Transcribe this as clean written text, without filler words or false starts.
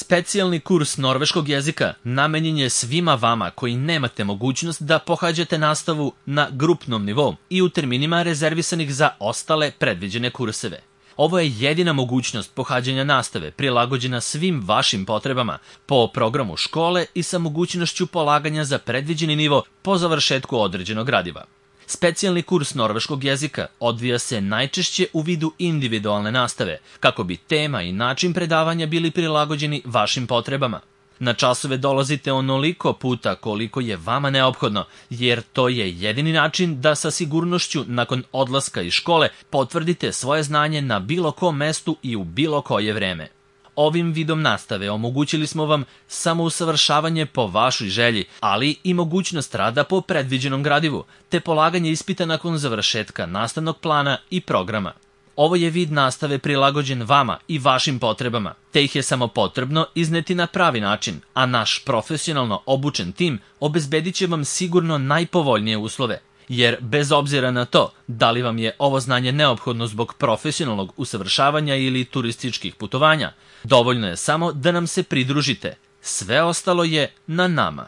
Specijalni kurs norveškog jezika namenjen je svima vama koji nemate mogućnost da pohađate nastavu na grupnom nivou i u terminima rezervisanih za ostale predviđene kurseve. Ovo je jedina mogućnost pohađanja nastave prilagođena svim vašim potrebama po programu škole i sa mogućnošću polaganja za predviđeni nivo po završetku određenog gradiva. Specijalni kurs norveškog jezika odvija se najčešće u vidu individualne nastave, kako bi tema i način predavanja bili prilagođeni vašim potrebama. Na časove dolazite onoliko puta koliko je vama neophodno, jer to je jedini način da sa sigurnošću nakon odlaska iz škole potvrdite svoje znanje na bilo kom mestu i u bilo koje vreme. Ovim vidom nastave omogućili smo vam samousavršavanje po vašoj želji, ali i mogućnost rada po predviđenom gradivu, te polaganje ispita nakon završetka nastavnog plana i programa. Ovo je vid nastave prilagođen vama i vašim potrebama, te ih je samo potrebno izneti na pravi način, a naš profesionalno obučen tim obezbedit će vam sigurno najpovoljnije uslove. Jer bez obzira na to da li vam je ovo znanje neophodno zbog profesionalnog usavršavanja ili turističkih putovanja, dovoljno je samo da nam se pridružite. Sve ostalo je na nama.